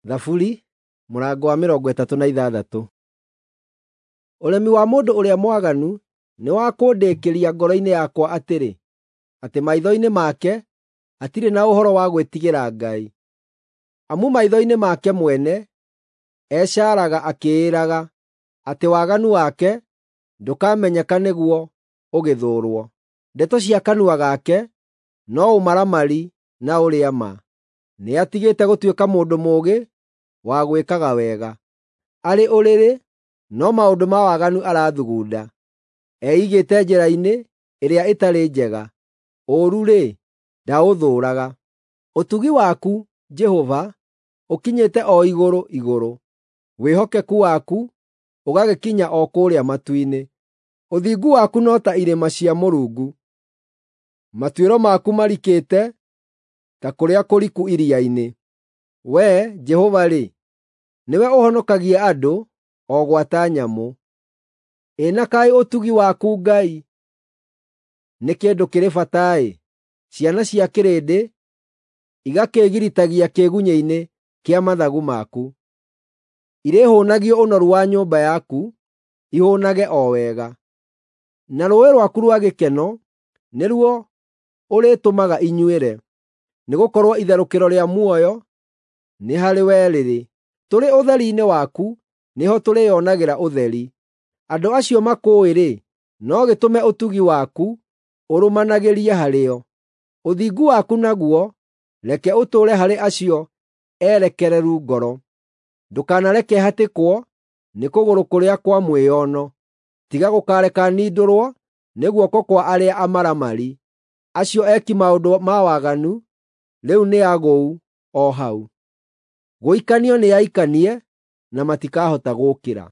Thaburi mũrango wa 36. Ũremi wa mũndũ ũrĩa mwaganu nĩ wa kũndĩkĩria ngoro-inĩ yakwa atĩrĩ, atĩ maitho-inĩ make hatirĩ na ũhoro wa gwĩtigĩra Ngai. Amu maitho-inĩ make mwene ecaaraga akĩĩraga atĩ waganu wake ndũkamenyeka nĩguo ũgĩthũũrwo. Ndeto cia kanua gake no ũmaramari na ũrĩa-ma. Nĩatigĩte gũtuĩka mũndũ mũũgĩ wa gwĩkaga wega. Arĩ ũrĩrĩ no maũndũ ma waganu arathugunda. Eigĩte njĩra-inĩ ĩrĩa ĩtarĩ njega, ũũru-rĩ, ndaũthũũraga. Ũtugi waku, Jehova, ũkinyĩte o igũrũ igũrũ, wĩhokeku waku ũgagĩkinya o kũrĩa matu-inĩ. Ũthingu waku no ta irĩma cia Mũrungu, matuĩro maku marikĩte ta kũrĩa kũriku iria-inĩ. Wee, Jehova-rĩ, nĩwe ũhonokagia andũ o gwata nyamũ. Ĩ na kaĩ ũtugi waku Ngai nĩ kĩndũ kĩrĩ bata-ĩ! Ciana cia kĩrĩndĩ igakĩĩgiritagia kĩĩgunyĩ-inĩ kĩa mathagu maku. Irĩhũũnagio ũnoru wa nyũmba yaku, ihũũnage o wega. Na rũũĩ rwaku rwa gĩkeno nĩruo ũrĩtũmaga inyuĩre, nĩgũkorwo itherũkĩro rĩa muoyo nĩ harĩwe rĩrĩ. Tũrĩ ũtheri-inĩ waku nĩho tũrĩĩonagĩra ũtheri. Andũ acio makũũĩ-rĩ, no gĩtũme ũtugi waku ũrũmanagĩrie harĩo. Ũthingu waku naguo reke ũtũũre harĩ acio erekereru ngoro. Ndũkanareke hatĩkwo nĩ kũgũrũ kũrĩa kwa mwĩono, tiga gũkareka nindũrwo nĩ guoko kwa arĩa amaramari. Acio eki maũndũ ma waganu rĩu nĩ agũu o hau. Gũikanio nĩaikanie na matikahota gũũkĩra.